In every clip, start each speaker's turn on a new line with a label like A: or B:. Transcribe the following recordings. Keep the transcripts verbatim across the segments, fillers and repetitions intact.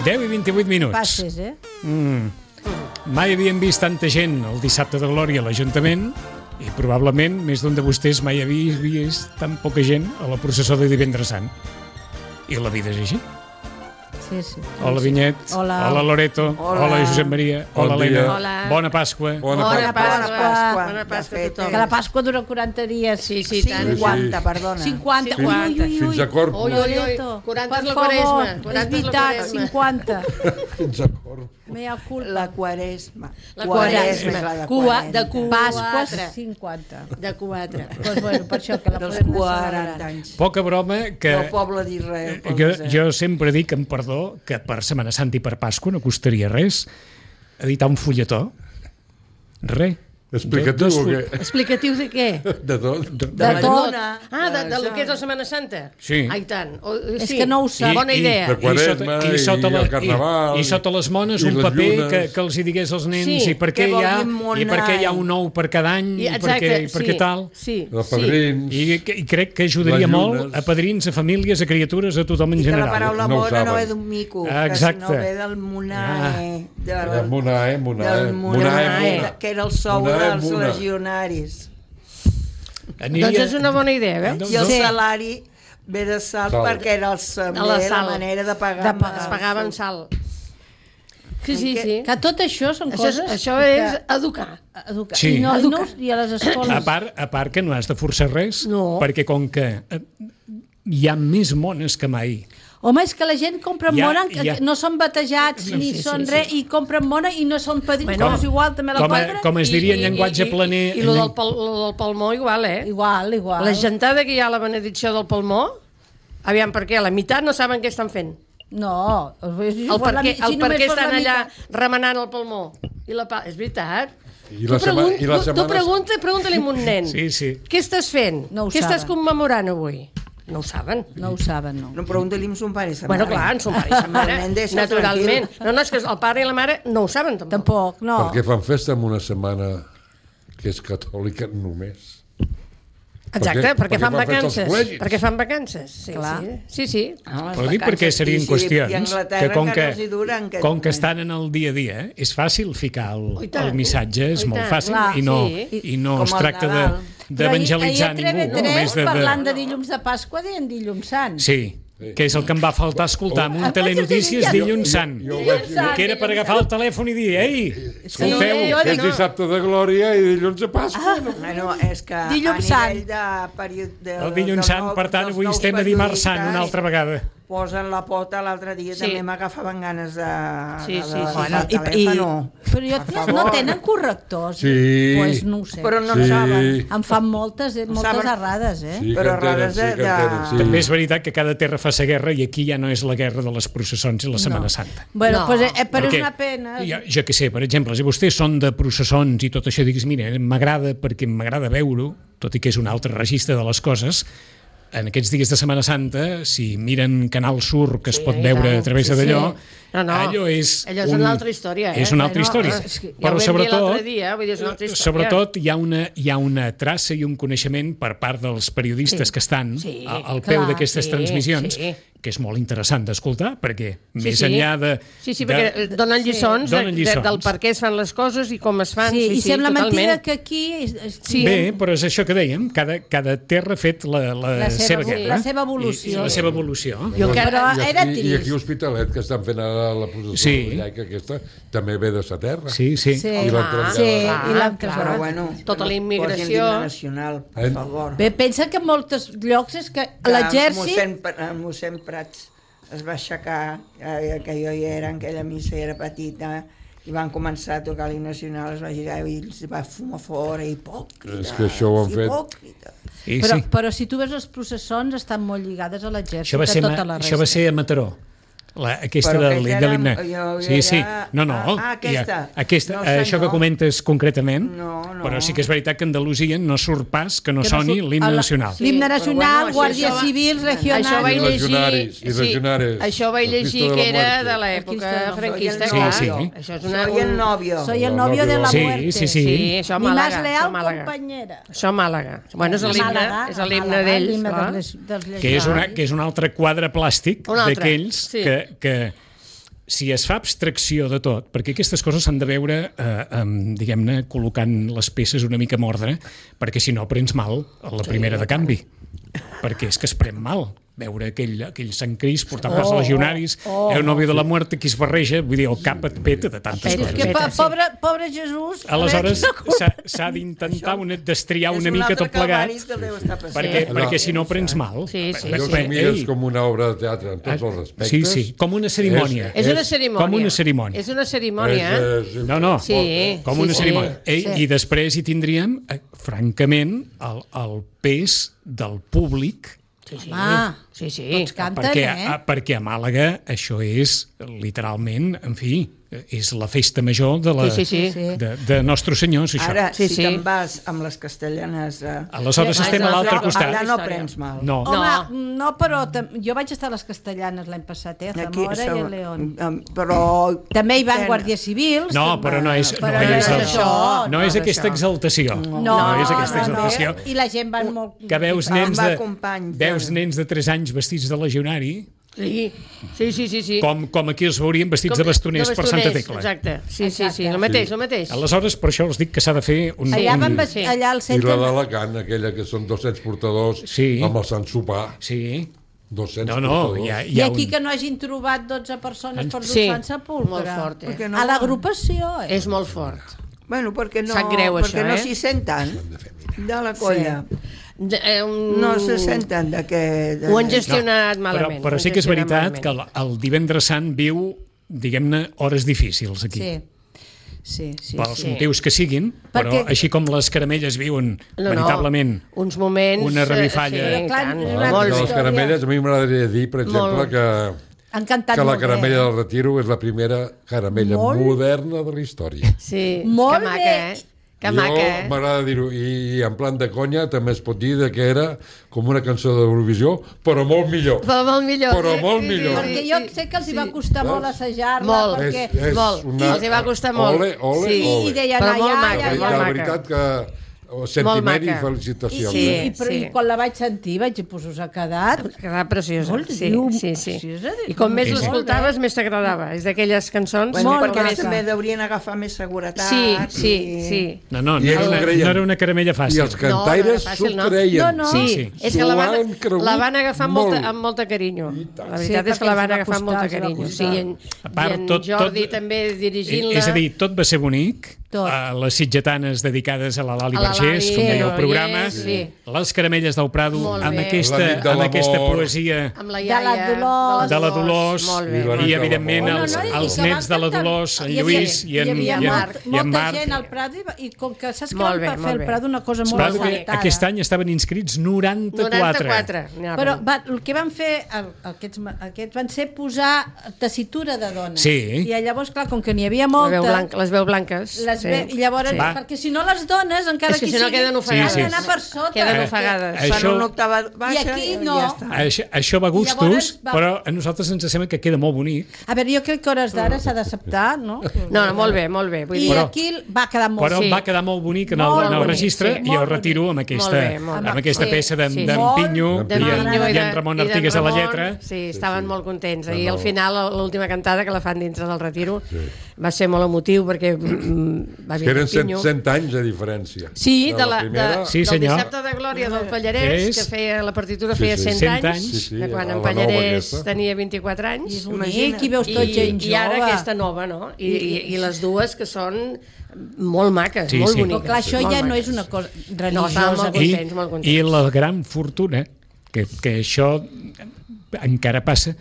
A: deu i vint-i-vuit minuts.
B: Passes, eh?
A: Mm. Mai havíem vist tanta gent el dissabte de Glòria a l'Ajuntament i probablement més d'un de vostès mai havia vist tan poca gent a la processó de Divendres Sant. I la vida és així.
B: Sí, sí.
A: Hola, Vinyet.
B: Hola.
A: Hola, Loreto.
C: Hola.
A: Hola, Josep Maria.
D: Bon
A: Hola,
D: dia.
A: Helena.
E: Hola.
A: Bona Pasqua.
D: Bona
E: Bona
D: Pasqua.
E: Pasqua.
C: Bona Pasqua a tothom.
B: Que la Pasqua dura quaranta dies.
E: Sí, sí, tant.
C: cinquanta, perdona.
B: cinquanta. Ui, ui, ui, ui.
D: Fins a Corpus.
E: Ui, ui, ui.
B: Loreto,
E: quaranta és
B: per
E: la
B: favor,
E: Quaresma.
B: és
E: quaranta és la
B: veritat,
E: Quaresma.
B: cinquanta.
D: Fins a Corpus.
B: Mea culpa.
C: La Quaresma.
E: La
C: Quaresma és la
E: Quaresma.
C: de
E: Cua, de
C: quaranta.
E: cua.
B: Pasques,
E: Quatre.
B: cinquanta.
E: De quatre.
B: Doncs bueno, per això que la
C: Dels
B: podem
C: quaranta
B: celebrar.
C: anys.
A: Poca broma que...
C: Del poble d'Israel. pel
A: Jo,
C: desert.
A: jo sempre dic, amb perdó, que per Setmana Santa i per Pasqua no costaria res editar un fulletó. Res.
D: Explicatiu
A: Dos
D: o
A: full-
D: què?
E: Explicatiu de què?
D: De tot.
B: De
C: la
B: tot.
C: lluna,
E: Ah, de, de lo
C: això.
E: que és la Setmana Santa?
A: Sí.
E: Ah, i tant. O,
B: És
E: sí.
B: que no ho sap.
E: Bona idea.
D: De Quaresma
A: I sota,
D: i
A: la,
D: el Carnaval.
A: i, i sota les mones
D: i
A: un
D: les
A: paper
D: llunes.
A: que, que els hi digués als nens
E: Sí,
A: i per què
C: què
A: hi
C: vol
A: ha
C: dir
A: i per què hi ha
C: monai?
A: un ou per cada any
E: I,
A: i per
E: exacte,
A: què, i per
E: sí,
A: què tal.
E: Sí,
D: Els
E: sí.
D: padrins.
A: I, i crec que ajudaria
D: Les
A: molt
D: llunes.
A: a padrins, a famílies, a criatures, a tothom en
C: I que la
A: general.
C: paraula
D: No ho
C: mona no
D: saben.
C: ve d'un mico,
A: Ah,
C: que
A: exacte.
C: sinó ve del monae.
D: Del Monae, Monae.
C: Del
D: Monae,
C: monae,
D: Mona.
C: que era el sou
D: Monae,
C: dels
D: Mona.
C: legionaris.
A: Aniria...
E: Doncs és una bona idea, veus?
C: I el
B: Sí.
C: salari ve de sal,
D: Sal.
C: perquè era el sal,
E: De la
C: la
E: sal.
C: manera de pagar.
B: De
C: amb
B: pagar.
E: Es
C: el
E: pagava amb
C: sal.
E: sal. Sí, sí, sí.
B: Que tot això són
E: Això és,
B: coses...
E: això
B: que-
E: és educar.
B: Educar.
A: Sí.
B: I, no, i, no,
E: Educar.
B: I a les escoles.
A: A part, a part que no has de forçar res,
E: No.
A: perquè com que eh, hi ha més mones que mai.
B: Home, és que la gent compra
A: Ja,
B: mona, que
A: ja.
B: no són batejats
E: Sí,
B: ni
E: sí,
B: són
E: sí,
B: res,
E: sí.
B: i compren mona i no són padrins,
E: Bueno,
B: bueno, és igual, també la
A: com a-
B: compren.
A: com es diria en llenguatge planer-
E: I, i, i lo del, pal, lo del palmó igual, eh?
B: Igual, igual.
E: La gentada que hi ha a la benedicció del palmó, aviam per què, la meitat no saben què estan fent.
B: No,
E: El per què, el per què estan allà remenant el palmó. I la pa... És veritat.
D: I la,
E: tu
D: sema,
E: pregun-
D: i la
E: tu, tu
D: setmana...
E: pregunta, pregunta-li a un nen.
A: Sí, sí.
E: Què estàs fent?
B: No ho
E: què estàs
B: saben.
E: commemorant avui? No ho saben.
B: No ho saben, no.
C: No, pregunta-li amb son pare i sa
E: Bueno,
C: mare.
E: clar, en son pare i sa mare,
C: El nen deixa
E: naturalment.
C: tranquil.
E: No, no, és que el pare i la mare no ho saben, tampoc.
B: Tampoc, no.
D: Perquè fan festa en una setmana que és catòlica només.
E: Exacte,
D: Perquè-
E: perquè,
D: perquè
E: fan
D: fan festa als
E: vacances.
D: col·legis.
E: Perquè fan vacances, sí,
B: Clar.
E: sí. Sí, sí.
C: Ah, les
A: Però dic perquè
C: vacances,
A: serien
C: i si-
A: qüestions
C: i a Anglaterra
A: que com que,
C: encara els hi duren, que-
A: com que estan en el dia a dia, eh, és fàcil ficar el,
E: Oh, i tant.
A: el missatge, és
E: Oh, i
A: molt
E: tant.
A: fàcil,
B: Clar,
A: i no,
E: sí.
A: i no
C: Com
A: es
C: el
A: tracta de-
C: Nadal.
A: d'evangelitzar
B: Però ahir a
A: ningú.
B: T V tres,
A: només de, de...
B: parlant de dilluns de Pasqua, deien dilluns sant.
A: Sí, que és el que em va faltar escoltar amb un
B: Ah,
A: Telenotícies
B: jo-
A: dilluns sant.
D: Jo ho vaig dir.
A: Que era per agafar el telèfon i dir, ei, escolteu,
B: Sí, jo
D: Que és
B: dic-
D: dissabte de Glòria i dilluns de Pasqua.
B: Ah.
D: No?
C: Bueno, és que
B: Dilluns
C: a nivell
B: sant.
C: de període... De,
A: el dilluns
C: dels
A: sant,
C: nous-
A: per tant,
C: dels
A: avui
C: nous
A: estem a dimarts sant
C: periodistes
A: una altra vegada.
C: Posen la pota, l'altre dia
E: Sí.
C: també m'agafaven ganes de...
E: Sí,
C: de,
E: sí,
C: de,
E: sí.
C: Bueno,
B: I, i,
C: telèfon.
B: però jo,
C: Per
B: no,
C: favor.
B: no tenen correctors.
D: Sí.
B: Pues no ho sé.
C: Però no
D: Sí.
C: en saben.
B: Em fan moltes, eh, moltes
C: Saben-
B: errades, eh?
D: Sí,
C: Però
D: que en tenen,
C: rares
D: sí,
C: de-
D: que en tenen,
C: de-
D: sí.
A: També és veritat que cada terra fa sa guerra i aquí ja no és la guerra de les processons i la Setmana
B: No.
A: Santa.
B: Bueno,
E: No.
B: pues, eh, però és
A: Perquè
B: una pena.
A: Jo, jo què sé, per exemple, si vostès són de processons i tot això, diguis, mira, m'agrada perquè m'agrada veure-ho, tot i que és un altre registre de les coses, en aquests dies de Setmana Santa, si miren Canal Sur, que es
E: Sí,
A: pot
E: i
A: veure
E: tant.
A: a través
E: Sí,
A: d'allò,
E: sí. No, no.
A: allò és...
E: Allò és una altra història, eh?
A: És una altra
E: No,
A: història.
E: és que ja ho
A: Però
E: vam dir
A: sobretot,
E: l'altre dia, vull dir, és una altra història.
A: sobretot hi ha, una, hi ha una traça i un coneixement per part dels periodistes
E: Sí.
A: que estan
E: Sí,
A: a- al peu
B: clar,
A: d'aquestes
E: sí,
A: transmissions,
E: sí.
A: que és molt interessant d'escoltar, perquè
E: Sí,
A: més
E: sí.
A: enllà de...
E: Sí, sí,
A: de-
E: perquè donen lliçons,
A: Donen
E: de, de,
A: lliçons.
E: del per què es fan les coses i com es fan.
B: Sí,
E: Sí,
B: i
E: sí,
B: sembla
E: totalment.
B: mentida que aquí... És, és,
E: Sí.
A: Bé, però és això que dèiem, cada, cada terra ha fet la, la,
B: La seva
A: seva
B: evo-
A: guerra.
B: la seva
A: I,
B: evolució.
A: i la seva evolució.
E: Jo encara...
B: Però
D: I
B: era
D: aquí, I aquí
B: trist.
D: a Hospitalet, que estan fent ara la processó
A: Sí.
D: de Llaica, aquesta, també ve de sa terra.
A: Sí, sí.
B: Sí,
D: I l'han traslladat.
B: sí,
E: Ah,
B: i l'han
E: clar.
C: Però
B: traslladat.
C: bueno,
E: Tota la
C: que no
E: immigració.
C: posin l'himne nacional, per
D: Eh?
C: favor.
B: Bé, pensa que en molts llocs és que
C: Que
B: l'exèrcit...
C: Mossèn, Pr- mossèn Prats es va aixecar, eh, que jo hi era, en aquella missa era petita, i van començar a tocar l'himne nacional, es va girar i els va fumar fora, hipòcrita.
D: És que això ho han fet.
C: Hipòcrita.
A: Sí,
B: Però,
A: sí.
B: però si tu veus les processons estan molt lligades a l'exèrcit,
A: Això va,
B: a
A: ser,
B: tota
A: ma-
B: la
A: això va
B: resta.
A: ser a Mataró. La, aquesta
C: Però
A: de,
C: aquesta
A: de
C: era-
A: l'himne.
C: jo
A: Sí, sí.
C: era-
A: No, no.
C: ah, ah, aquesta.
A: Ja, aquesta
C: No,
A: això
C: senyor.
A: que comentes concretament,
C: No, no.
A: però sí que és veritat que a Andalusia no surt pas que no
B: Que no
A: soni
B: surt-
A: l'himne
B: a la-
A: nacional.
B: L'himne
C: Sí, però
B: nacional,
C: bueno,
B: Guàrdia
C: això va-
B: Civil,
E: Això vaig
B: Regional...
D: I
E: llegir...
D: legionaris, i legionaris.
E: Això vaig
D: El Cristo
E: llegir
D: de la
E: que era
D: Muerte.
E: de
B: El
E: l'època
B: Cristo de la
E: franquista,
C: Muerte.
E: clar.
A: Sí, sí.
E: Això és una...
C: Soy el
E: un-
C: novio.
B: Soy el
D: El
B: novio de la
D: novio.
A: Sí,
B: muerte.
A: sí, sí.
E: Sí, això a
B: Ni más
E: Màlaga.
B: leal,
E: això a Màlaga.
B: compañera.
E: Això a Màlaga. Bueno, és
B: A
E: l'himne,
B: Màlaga,
E: és
B: a
E: l'himne
B: Màlaga,
E: d'ells,
B: l'himne
E: clar.
B: dels- dels
A: Que és, una,
B: legionaris.
A: que és un altre quadre plàstic
E: Un altre,
A: d'aquells
E: sí.
A: que, que si es fa abstracció de tot, perquè aquestes coses s'han de veure, eh, eh, diguem-ne, col·locant les peces una mica en ordre, perquè si no prens mal a la primera de canvi. Perquè és que es pren mal veure aquell, aquell Sant Crist portant oh, els legionaris, oh, oh, el novio de la muerte que es barreja, vull dir, el cap et peta de tantes
B: és
A: coses.
B: que pa, pobre, pobre Jesús...
A: Aleshores, s'ha d'intentar una, destriar una mica tot plegat, perquè,
C: sí.
A: perquè si no prens mal.
E: Sí, sí,
D: jo
E: sí.
D: ho mires com una obra de teatre en tots els aspectes.
A: Sí, sí, com una cerimònia.
E: És, és una cerimònia.
A: Com una cerimònia.
E: És una cerimònia.
D: És, és,
A: No, no,
E: Sí,
A: com
E: sí,
A: una
E: sí,
A: cerimònia.
E: sí.
A: I, I després hi tindríem, eh, francament, el, el pes del públic.
E: Sí, sí.
B: Ah,
E: sí, sí.
B: tots canten,
A: perquè,
B: eh?
A: a, perquè a Màlaga això és, literalment, en fi, és la festa major de, la,
E: Sí, sí,
B: sí.
A: de, de Nostre Senyor, és això.
C: Ara,
E: Sí,
C: si
E: sí.
C: te'n vas amb les castellanes... Eh,
A: Aleshores
E: Sí,
A: estem a l'altre
E: no,
A: costat.
C: allà no prens mal.
A: No.
B: Home, no, però tam- jo vaig estar a les Castellanes l'any passat, eh, a Zamora i a León.
C: um, Però...
B: També hi van
C: Ten-
B: guàrdies civils.
A: No,
B: també.
A: però no és,
B: Però
A: no
B: no
A: és,
B: és
A: el-
B: això,
A: no
C: no
A: és
C: és
A: aquesta
C: això.
A: exaltació.
B: No,
A: No és aquesta
B: no, no.
A: exaltació.
B: I la gent van molt...
A: Que veus
C: Em
A: nens
C: va
A: de,
C: companys,
A: veus
C: ja.
A: nens de tres anys vestits de legionari,
E: Sí, sí, sí, sí. sí.
A: com, com aquí els veurien vestits de bastoners per Santa Tecla.
E: Exacte, sí, sí, sí,
B: Exacte.
E: el mateix, el mateix.
A: Aleshores, per això els dic que s'ha de fer un...
B: Allà,
A: un...
B: van,
E: Sí.
B: allà al
D: I
B: centre...
D: la d'Alacant, aquella que són dos-cents portadors
A: Sí.
D: amb el Sant Sopar.
A: Sí.
D: dos-cents
A: No, no,
D: portadors.
A: hi ha, hi
B: I
A: ha
B: aquí
A: un...
B: que no hagin trobat dotze persones per dur
E: Sí,
B: Sant Sepulcre.
E: molt fort, eh?
C: Perquè no-
B: A l'agrupació, eh?
E: És molt fort.
C: Bueno, perquè no,
E: Sap greu,
C: perquè
E: això,
C: no
E: eh?
C: s'hi senten de la colla.
E: De, eh, un...
C: No se senten de que... De...
E: Ho han gestionat
A: Però,
E: malament.
A: però
E: ho han
A: sí que és
E: gestionat
A: veritat que
E: malament.
A: el, el divendres sant viu, diguem-ne, hores difícils aquí.
B: Sí. Sí, sí,
A: Pels
B: sí.
A: motius que siguin, però
B: Perquè-
A: així com les caramelles viuen
E: No, no,
A: veritablement
E: uns moments...
A: una
E: eh,
A: revifalla.
E: Sí,
B: Però clar,
E: tant,
B: és
D: Ah,
B: una
E: molt
D: de
E: bé.
D: les caramelles, a mi m'agradaria dir, per exemple,
E: Molt.
D: que,
B: Han cantat
D: que la
B: molt
D: caramella
B: bé.
D: del Retiro és la primera caramella
B: Molt.
D: moderna de la història.
E: Sí,
B: Molt
E: que maca,
B: bé.
E: eh? Que maca,
D: jo
E: eh?
D: m'agrada dir-ho, i, i en plan de conya també es pot dir de que era com una cançó d'Eurovisió, però molt millor.
E: Però molt millor.
D: Però
E: sí,
D: molt
E: sí,
D: millor.
E: sí,
B: Perquè
E: sí,
B: jo sé que els hi va
E: sí.
B: costar molt
D: Veus?
B: assajar-la,
E: Molt.
B: perquè...
D: És, és
E: Molt.
D: una...
E: Els hi va costar molt.
D: Ole, ole,
E: Sí.
D: ole.
B: I deien,
E: Però
B: ai,
E: molt
B: ai,
E: maca,
B: ai,
D: La,
E: molt
B: ai.
D: la
E: maca.
D: veritat que sentiment i
E: maca.
D: felicitacions.
E: Sí.
D: eh?
B: I, però,
E: sí.
B: I quan la vaig sentir vaig dir, pues us ha quedat...
E: Quedava preciosa.
B: Molt
E: Sí,
B: llum,
E: sí, sí.
B: preciosa.
E: I com més
A: Sí, sí.
E: l'escoltaves, més t'agradava. És d'aquelles cançons...
C: Bueno,
B: Molt
C: perquè
B: maca.
C: ells també deurien agafar més seguretat.
E: Sí, sí,
C: i...
E: sí.
A: No, no, no,
D: I
A: era
D: ells
A: una,
D: ho creien.
A: no era una caramella
D: I
A: fàcil.
D: els cantaires
E: no, no era
D: s'ho
E: fàcil, no.
D: creien.
B: No, no.
E: Sí,
A: Sí,
E: és que la van,
D: S'ho han cregut
E: la van agafar amb molta,
D: molt.
E: amb molta carinyo. La
B: Sí,
E: veritat és que la
B: perquè
E: van
B: els va
E: agafar amb molta
B: costar, els va
E: carinyo. Sí,
B: costar.
E: i en,
A: A part,
E: i en
A: tot-
E: Jordi
A: tot-
E: també
A: Eh,
E: dirigint-la.
A: És a dir, tot va ser bonic.
B: Tot.
A: Uh, les sitgetanes dedicades a la Lali
E: A la
A: Vergés,
E: Lali,
A: com deia el
E: sí,
A: programa,
E: sí.
A: les caramelles del Prado,
E: Molt
A: amb
E: bé.
A: aquesta,
D: La nit de
A: amb aquesta
D: l'amor.
A: poesia
E: amb la
B: De
E: iaia,
B: la Dolors.
A: de la Dolors
E: Molt
D: I
E: bé.
D: la
A: i,
D: nit de
A: evidentment,
D: l'amor.
A: els,
B: No, no, i
A: els
B: que
A: nets de
B: van
A: la
B: cantar-
A: Dolors, en
B: hi havia-
A: Lluís i en,
B: hi havia
A: i en,
B: molt-
A: i en
B: molta
A: Marc.
B: gent al Prado i, i com que saps que
E: Molt
B: van
E: bé,
B: fer
E: molt
B: el
E: bé.
B: Prado una cosa molt
A: Prado que
B: aguantada.
A: aquest any estaven inscrits noranta-quatre.
E: noranta-quatre. anava.
B: Però va, el que van fer el, aquests, aquests van ser posar tessitura de dones.
A: Sí.
B: I llavors, clar, com que n'hi havia
E: La
B: molta...
E: veu blanca, les veu blanques.
B: Les
E: sí.
B: ve, I llavors,
E: Sí.
A: Va.
B: perquè si no les dones, encara
E: És que
B: que
E: si no
B: sigui,
E: queden ofegades.
A: Sí, sí.
B: han d'anar per sota.
E: Queden
A: Eh,
E: ofegades.
A: eh,
C: Fan
A: Això-
C: una octava baixa
B: I aquí
C: i
B: no.
C: ja està.
A: Això, això va a gustos,
B: Llavors va-
A: però a nosaltres ens sembla que queda molt bonic.
B: A veure, jo crec que a hores d'ara s'ha d'acceptar, no?
E: No, no, molt bé, molt bé. Vull
B: I
E: dir,
A: Però-
B: aquí va quedar molt
A: Però
E: Sí.
A: va quedar molt bonic en el,
B: Molt
A: en el
B: bonic,
A: registre
B: sí,
A: i jo
B: molt
A: retiro amb aquesta,
E: Molt bé, molt bé.
A: amb aquesta
E: Sí,
A: peça d'en
E: sí.
A: d'en
B: Molt
A: Pinyo
E: de
A: i,
E: Pinyo
A: en,
E: i
A: i
E: de-
A: en Ramon
E: i d'en
A: Artigues a la
E: Ramon,
A: lletra.
E: Sí, estaven molt contents.
D: No,
E: I
D: no.
E: al final, l'última cantada que la fan dintre del retiro, va ser molt emotiu perquè mm, va
D: Que
E: vindre
D: eren cent,
E: Pinyo.
D: cent anys de diferència.
E: Sí, de la,
D: primera.
E: de,
A: Sí,
E: del
A: senyor.
E: dissabte de Glòria del Pallarès,
A: És-
E: que feia la partitura
D: Sí,
E: feia
D: sí.
E: cent,
A: cent
E: anys,
A: anys.
D: Sí, sí,
E: de quan
D: a
E: en
D: la nova
E: Pallarès
D: aquesta.
E: tenia vint-i-quatre anys.
B: És bonic,
C: Imagina't.
B: i veus
E: I,
B: tot gent
E: i ara
B: jove.
E: aquesta nova, no? I, i, i les dues que són molt maques,
A: Sí,
E: molt
A: sí.
B: Però
E: boniques.
B: clar, això
E: molt
B: ja no
E: maques.
B: és una cosa
E: No,
B: religiosa.
E: estaven molt
A: I,
E: contents, molt contents.
A: I la gran fortuna, que, que això encara passa,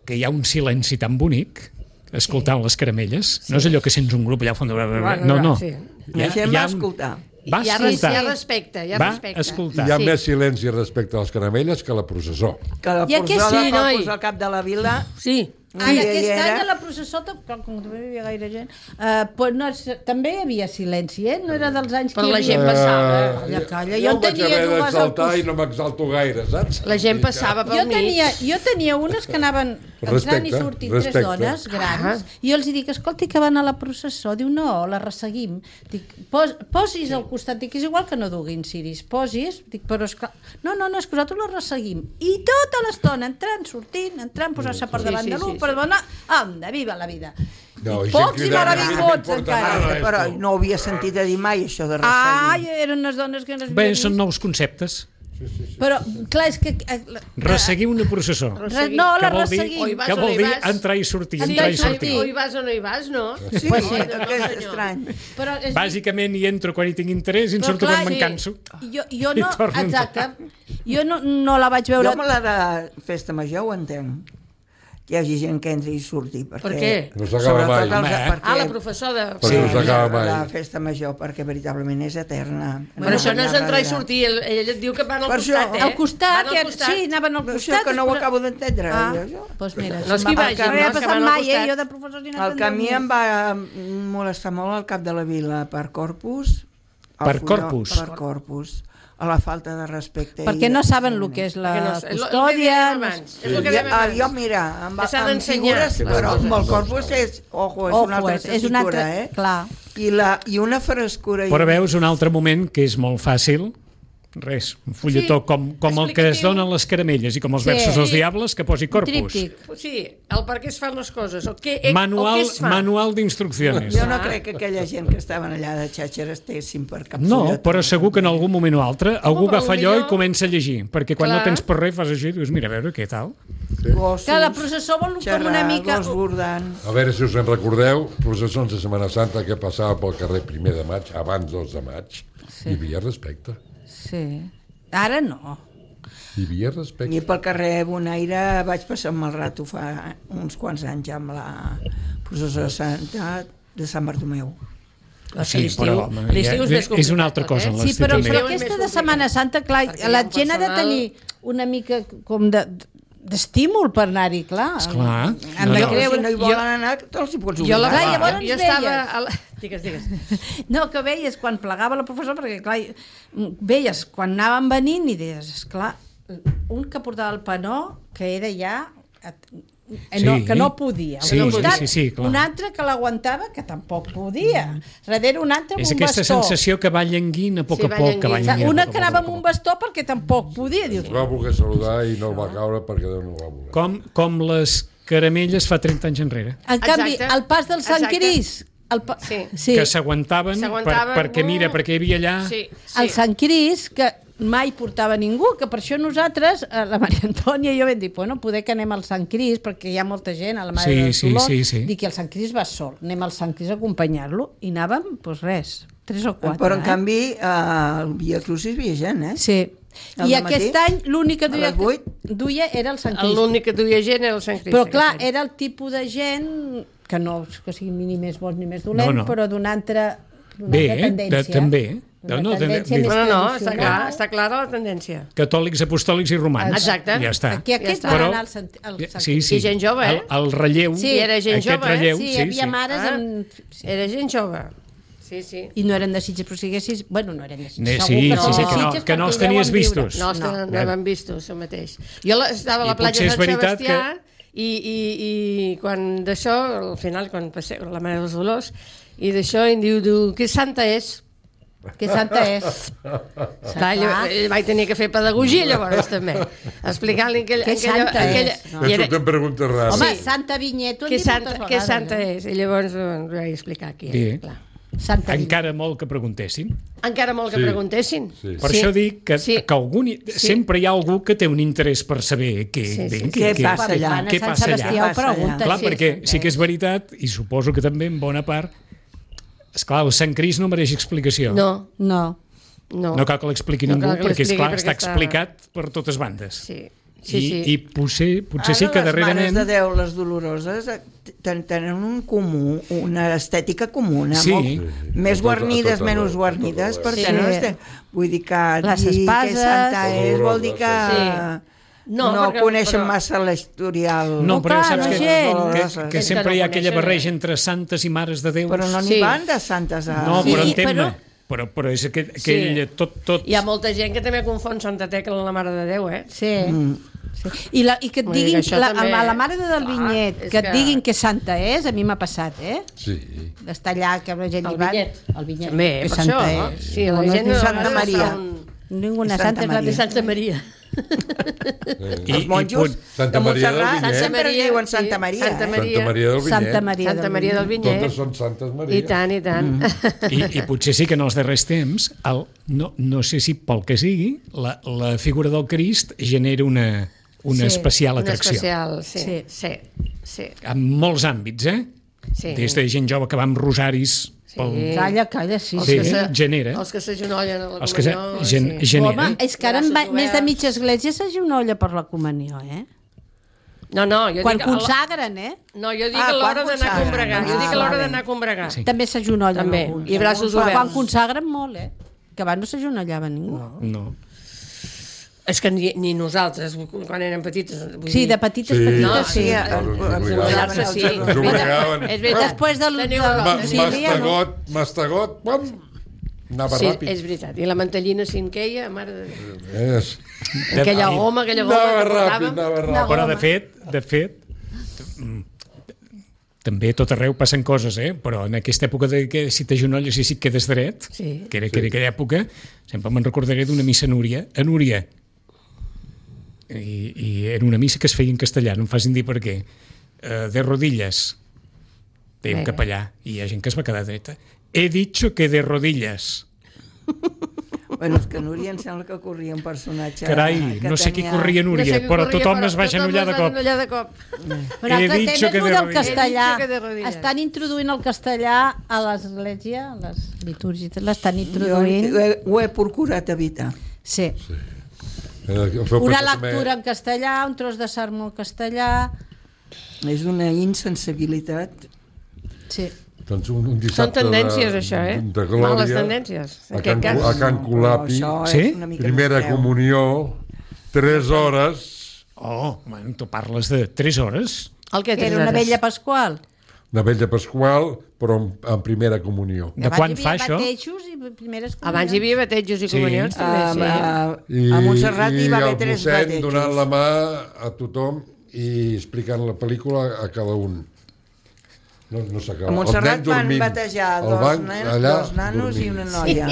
A: que hi ha un silenci tan bonic escoltant les caramelles. No és allò que sents un grup allà al fons.
E: Bueno,
A: No, no.
E: sí.
C: La gent va escoltar.
A: Va
E: Hi ha,
A: escoltar.
E: hi ha respecte, hi ha
A: Va
E: respecte.
A: escoltar.
D: Hi ha
E: Sí.
D: més silenci respecte a les caramelles que a la processó.
C: Que la
B: I aquest
C: porçola
E: sí,
C: fa
E: noi.
C: posar al cap de la vila.
E: Sí,
B: Ara,
C: Sí,
B: aquest
C: hi era.
B: any a la processó, tam- com com també hi havia gaire gent, uh, pues no, és- també hi havia silenci, eh? No era dels anys
E: però
B: que hi
E: la
B: havia...
E: gent passava.
B: Calla, calla,
D: jo
B: jo en
D: em vaig
B: tenia
D: haver
B: dues al
D: d'exaltar
B: costat.
D: i no m'exalto gaire, saps?
E: La gent passava pel
B: Jo
E: mig.
B: tenia, jo tenia unes que anaven entrant
D: Respecte,
B: i sortint
D: respecte.
B: tres dones grans, i jo els dic, escolti, que van a la processó. Diu, no, la resseguim. Dic, pos, posis al costat. Dic, és igual que no duguin ciris. Posis. Dic, però esclar... No, no, no, és que nosaltres la resseguim. I tota l'estona, entrant, sortint, entrant, posar-se per
E: Sí,
B: davant
E: sí,
B: de
E: sí,
B: l'un, perdona, anda, viva la vida.
D: No,
B: I
D: gent
B: pocs hi
D: cridant,
B: van
D: a mi
B: haver
D: no
B: vots
D: m'importa
B: encara.
D: nada.
C: Ah, però no ho havia sentit a dir mai, això de resseguir.
B: Ai, eren unes dones que no es
A: Bé,
B: havia
A: són
B: vist.
A: nous conceptes.
B: Però, clar, és que... eh,
A: Resseguir una processó.
B: Re, no, la
A: Que vol dir,
B: resseguim.
E: O hi vas
A: que
E: o no
A: vol
E: hi
A: dir
E: vas.
A: entrar i sortir,
B: Sí,
A: entrar i
B: sí,
A: sortir.
E: O hi vas o no hi vas, no?
C: Sí,
B: Pues sí.
C: no, que és estrany.
B: Però és,
A: Bàsicament hi entro quan hi tinc interès i em
B: Però
A: surto
B: clar,
A: quan me'n
B: sí.
A: canso.
B: jo, jo
A: I
B: no...
A: torno a entrar.
B: Exacte. Jo no, no la vaig veure...
C: Jo amb la de festa major ho entenc. Que hi hagi gent que entri i surti. Perquè,
E: Per què?
D: No s'acaba mai.
C: sobretot els-
A: Home,
C: perquè,
E: Ah, la professor de...
D: Perquè no s'acaba mai.
C: La festa major, perquè veritablement és eterna.
E: Però això no és entrar i
C: darrere.
E: sortir, ell, ell et diu que van al
C: Per això,
E: costat, eh?
B: Al costat,
E: Van al
B: que,
E: costat.
B: sí, anaven al
C: Però
B: costat.
C: això que no ho
B: però-
C: acabo d'entendre.
B: Ah,
C: jo, jo.
B: doncs mira.
E: No és que hi
B: va-
E: vagin,
B: no
E: no,
B: hi ha
E: és que
B: passat
E: van al
B: mai, eh?
E: costat.
B: Jo de professors ni
C: El que a mi em va molestar molt al cap de la vila per Corpus. al
A: Per
C: Folló-
A: Corpus?
C: Per Corpus. A la falta de respecte.
B: Perquè
C: i
B: no
C: de-
B: saben el que és la
E: Perquè no sé, el- el que
B: custòdia.
E: dèiem
B: no
E: abans.
B: sé-
E: És el que
C: Jo,
E: dèiem
C: ah,
E: abans.
C: jo, mira, amb,
E: Que s'ha
C: amb
E: d'ensenyar
C: figures,
E: les
C: però
E: coses.
C: amb el corpus és, ojo, és una
B: Ojo,
C: altra
B: és, és una altra...
C: tessitura, eh?
B: Clar.
C: I, la, I una frescura. i
A: Però
C: un-
A: veus un altre moment que és molt fàcil. Res, un fulletó
E: Sí,
A: com, com el que es
E: explicatiu.
A: donen les caramelles i com els
B: Sí.
A: versos dels diables, que posi corpus.
B: Tríptic.
E: Sí, el per què es fan les coses, el que, el
A: Manual,
E: que es fa.
A: manual d'instruccions.
C: Jo no crec que aquella gent que estaven allà de xatxer estessin per cap
A: No,
C: fulletó.
A: però segur que en algun moment o altre algú
E: però
A: agafa allò
E: millor-
A: i comença a llegir, perquè quan
E: Clar.
A: no tens per res fas així i dius, mira, a veure què tal.
C: Gossos,
B: Que la processó vol com
C: xerrar,
B: una mica...
C: gos bordant.
D: A veure si us en recordeu, processons de Setmana Santa que passava pel carrer primer de maig, abans dos de maig.
B: Sí.
D: Hi havia respecte.
B: Sí. Ara no.
D: Hi havia respecte.
C: I pel carrer Bonaire vaig passar un mal rato fa uns quants anys amb la processó de Santa de Sant Bartomeu.
E: Ah,
A: Sí,
E: l'estiu-
A: però, home,
E: l'estiu
A: ja-
E: més
A: és una altra
E: complicat,
A: cosa,
E: eh?
A: en
B: Sí,
A: l'estiu
B: però,
A: també.
B: però
E: L'estiu és
B: aquesta
E: més
B: de
E: complicat.
B: Setmana Santa, clar,
E: Perquè hi ha
B: la
E: un
B: gent ha de
E: personal-
B: tenir una mica com de d'estímul per anar-hi, clar.
A: Esclar.
B: Han
A: No,
B: de
A: no.
B: creure...
C: Si no hi volen anar, te'ls hi pots
E: Jo,
C: obligar.
E: la,
B: Clar,
E: jo,
B: llavors
E: jo
B: veies.
E: estava... A la... Digues, digues.
B: No, que veies quan plegava la professora, perquè clar, veies quan anaven venint i deies, esclar, un que portava el panó, que era ja... Eh, no,
A: Sí.
B: que no podia. Al
A: Sí,
B: costat,
A: sí, sí, clar.
B: un altre que l'aguantava, que tampoc podia. Darrere un altre amb
A: És
B: un
A: aquesta
B: bastó.
A: sensació que va llenguint a poc
E: Sí,
A: a
E: va
A: poc, que va
E: llenguint.
A: llenguint. a
B: Una
A: poc a
B: que
A: poc, a
B: anava
A: poc
B: amb
A: a
B: un
A: poc.
B: bastó perquè tampoc podia. Dius,
D: Va voler saludar i no el va caure perquè Déu no ho va voler.
A: Com, com les caramelles fa trenta anys enrere,
B: en canvi,
E: Exacte.
B: el pas del Sant
E: Exacte.
B: Cris... El pa...
E: Sí.
B: sí.
A: que s'aguantaven per,
E: S'aguantaven,
A: perquè, mira,
E: uh,
A: perquè hi havia allà...
E: Sí, sí.
B: El Sant Cris, que mai portava ningú, que per això nosaltres, eh, la Maria Antònia i jo vam dir, bueno, poder que anem al Sant Cris, perquè hi ha molta gent, a la Mare
A: Sí,
B: del
A: sí,
B: Dolors,
A: sí, sí.
B: dic que el Sant Cris va sol, anem al Sant Cris a acompanyar-lo, i anàvem, doncs res, tres o quatre.
C: Però en
B: eh?
C: canvi, eh, el Via Crucis hi havia gent, eh?
B: Sí.
C: Al
B: I
C: dematí,
B: aquest any l'únic que
C: a
B: duia,
C: les vuit.
B: duia era el Sant Cris.
E: L'únic que duia gent era el Sant Crist.
B: Però clar,
E: aquest any.
B: era el tipus de gent que no és que sigui ni més bo ni més dolent,
A: No, no.
B: però d'una altra, d'una
A: Bé,
B: altra tendència.
A: de- també.
B: D'una
A: No, no, de-
B: tendència
A: de-
B: més
E: Bueno, no, està,
B: tradicional.
E: clar, està clara la tendència.
A: Catòlics, apostòlics i romans.
E: Exacte.
A: Ja està.
B: Que aquests
E: Ja
B: van
E: està.
B: anar al Sant, al Sant
A: Sí,
B: Cris.
A: sí.
E: I gent jove, eh?
A: El, el relleu,
B: Sí.
E: I era gent
A: aquest
E: jove, eh?
A: relleu,
B: Sí,
A: sí,
B: hi havia
A: sí.
B: mares
E: Ah.
B: amb...
E: Era gent jove. Sí, sí.
B: I no eren de Sitges, però si haguessis... Bueno, no eren de Sitges.
A: Ne,
B: segur
A: sí,
B: que
A: sí, sí, que no,
B: Sitges
A: que no
B: perquè
A: els
B: hi
A: tenies
B: deuen viure.
A: vistos.
E: No, no, no, no
A: No.
E: vam vist això mateix. Jo la, estava a la
A: I
E: platja
A: potser
E: de
A: és
E: Sant
A: veritat
E: Sebastià i, i, i quan d'això, al final, quan passeu la Mare dels Dolors, i d'això em diu, diu, que santa és?
B: Que santa és.
E: Clar, ell, ell vaig tenir que fer pedagogia llavors també, explicant-li aquella...
B: Que
E: aquella,
B: santa
E: aquella,
B: és.
D: No.
E: i era,
D: Surten preguntes rares.
B: Home,
E: Sí.
B: Santa Vinyet, ho hem
E: que
B: dit
E: santa,
B: moltes
E: que
B: vegades.
E: santa
B: eh?
E: és? I llavors doncs, ho vaig explicar aquí.
A: Bé.
E: Eh? Clar.
B: Santa Vinyet.
A: Encara molt que preguntessin.
E: Encara molt que
D: Sí.
E: preguntessin.
D: Sí.
A: Per
E: Sí.
A: això dic que,
E: Sí.
A: que algun, sempre hi ha algú que té un interès per saber què,
E: Sí, sí,
A: bé,
E: sí.
C: Què passa allà?
B: Van a
A: què
B: Sant
A: passa allà.
B: Sebastià ho
C: Què passa
B: pregunta.
A: Clar,
E: Sí,
A: perquè
E: sí.
A: sí que és veritat, i suposo que també en bona part, esclar, el Sant Cris no mereix explicació.
E: No,
B: No.
E: no.
A: No cal que l'expliqui
E: No
A: ningú,
E: cal que
A: perquè,
E: l'expliqui
A: esclar,
E: perquè
A: està
E: està-
A: explicat per totes bandes.
E: Sí, sí,
A: I,
E: sí.
A: I potser, potser
C: Ara
A: sí que
C: les
A: darrerament...
C: Mares de Déu, les doloroses, eh, ten- tenen un comú, una estètica comuna,
A: Sí.
C: molt,
A: Sí,
D: sí.
C: més
D: A tot- a
C: guarnides,
D: tot
C: menys
D: arreu,
C: guarnides,
D: a tot
C: perquè
B: arreu.
C: no
B: Sí.
C: estem... Vull dir que
B: Les
C: dir
B: espases.
C: que santa és vol dir que
E: Sí.
C: no,
E: No,
C: no
E: perquè-
C: coneixen
E: però-
C: massa l'historial.
A: No,
B: No,
A: però
B: clar,
A: saps
B: la
A: que,
B: gent.
A: que, que
E: És
A: sempre
E: que no
A: hi ha aquella
E: coneixen,
A: barreja
E: eh?
A: entre santes i mares de Déu.
C: Però no n'hi
E: Sí.
C: van de santes a...
A: No,
B: Sí,
A: però entén-me.
B: però-
A: Però, però és aquell, aquell tot, tot...
E: Hi ha molta gent que també confon Santa Tecla amb la Mare de Déu, eh?
B: Sí. Mm. sí. I, la, I que et
E: Vull dir
B: diguin,
E: que això
B: la,
E: també-
B: a la mare del
E: Clar,
B: Vinyet,
E: és
B: que et
E: que-
B: diguin que santa és, a mi m'ha passat, eh?
D: Sí.
B: D'estar allà, que la gent
E: El
B: hi va...
E: Vinyet.
B: El Vinyet.
E: També,
B: que
E: per
B: santa
E: això, no?
B: és.
E: Sí, la
B: no
E: gent
B: és
E: a
B: Santa
E: vegades
B: Maria.
E: fa un-
B: Ninguna
C: És
B: santa,
C: Santa
B: és la de
C: Maria.
B: Santa
E: Santa Maria.
A: I,
C: Els monjos
D: Santa
C: de
D: Maria del
C: Montserrat
D: Vinyet.
C: sempre
E: Maria,
C: diuen
E: sí,
C: Santa Maria.
E: Santa
C: eh?
E: Maria.
D: Santa Maria del Vinyet.
B: Santa Maria,
E: Santa
B: del
E: Maria del Vinyet.
D: Totes són Santes Maria.
E: I tant, i tant.
A: I, I potser sí que en els darrers temps, el, no, no sé si pel que sigui, la, la figura del Crist genera una, una
B: Sí,
A: especial
E: Una
A: atracció.
E: especial, sí,
B: Sí.
E: sí, sí.
A: En molts àmbits, eh?
E: Sí.
A: Des de gent jove que va amb rosaris pel...
B: Calla, calla, sí.
E: Els
A: Sí,
E: que se-
A: genera.
E: Els que s'agenollen a la
A: Els que se,
E: comunió.
A: gen,
E: sí.
A: genera.
B: Home, és que ara en va,
E: Braços
B: més de
E: oberts.
B: mitja església s'agenolla per la comunió, eh?
E: No, no, jo
B: Quan
E: dic... a la-
B: consagren, eh?
E: No, jo dic
C: Ah,
E: a l'hora
C: quan
E: d'anar a
C: consagren.
E: combregar. Jo
C: Ah,
E: dic a l'hora
C: vale.
E: d'anar a combregar.
A: Sí.
B: També s'agenollen
E: També,
B: alguns.
E: i braços
B: Quan-
E: oberts.
B: Quan consagren molt, eh? Que abans no s'agenollava ningú. No.
A: No.
E: És que ni, ni nosaltres, quan érem petites... Vull
B: Sí,
E: dir,
B: de petites,
D: Sí.
B: petites,
E: No,
B: sí.
C: Sí,
D: Ens obligaven.
E: agenollar-se, sí.
D: Ens obligaven.
E: És veritat.
B: Després del...
E: Teniu
B: del-
E: raó.
D: Ma-
B: sí, no?
D: Mastegot, mastegot, pam, anava
E: Sí,
D: ràpid.
E: és veritat. I la mantellina cinqueia, mare de Déu.
D: És...
E: Aquella
A: I-
E: goma, aquella goma
D: Anava
E: que
D: ràpid,
E: portàvem.
D: anava ràpid.
A: Però de fet, de fet, mm, també a tot arreu passen coses, eh? Però en aquesta època de que si t'agenolles i si et quedes dret,
E: Sí.
A: que era, que era aquella època, sempre me'n recordaré d'una missa a Núria, a Núria. I, I era una missa que es feia en castellà, no em facin dir per què. Uh, de rodilles. Deia un
E: Vinga.
A: capellà, i hi ha gent que es va quedar dreta. He dicho que de rodilles.
C: Bueno, és que Núria em sembla que corria un personatge...
A: Carai,
C: que
A: no sé qui
C: tenia-
A: corria
E: No
A: Núria,
E: sé qui
A: però
E: corria,
A: tothom
E: però
A: es va
E: tothom
A: agenollar
E: es
A: de
E: va
A: cop.
E: agenollar de cop.
B: Un
A: He
B: altre
A: dicho
B: tema
A: que
B: és
A: de
B: el del
A: rodillas.
B: castellà.
E: He dicho que de rodillas.
B: Estan introduint el castellà a l'església, a les litúrgies, l'estan
C: Jo
B: introduint.
C: ho he, ho he procurat evitar.
B: Sí.
D: Eh, feu
B: Una
D: passar també-
B: lectura en castellà, un tros de sermó en castellà...
C: És una insensibilitat.
B: Sí.
D: Doncs un, un
E: Són
D: dissabte
E: tendències,
D: de,
E: això, eh?
D: de glòria,
E: Males tendències, en
D: a
E: aquest
D: Can,
E: cas.
D: a Can Colapi,
C: Però això
A: Sí?
C: és una mica
D: primera
C: més greu.
D: comunió, tres hores,
A: Oh, bueno, tu parles de tres hores?
E: El que
B: Que era una vella pasqual.
D: de Vella Pasqual, però en, en primera comunió.
A: De quan fa això?
B: Batejos i primeres comunions.
E: Abans hi havia batejos i
A: Sí.
E: comunions, també,
C: A,
E: sí.
C: a, a Montserrat hi va haver
D: el
C: tres
D: mossèn
C: batejos.
D: donant la mà a tothom i explicant la pel·lícula a cada un. No, no s'acaba.
C: A Montserrat
D: Els nens
C: van
D: dormint
C: batejar
D: al
C: dos,
D: banc,
C: nen,
D: allà,
C: dos nanos
D: dormint.
C: i una noia.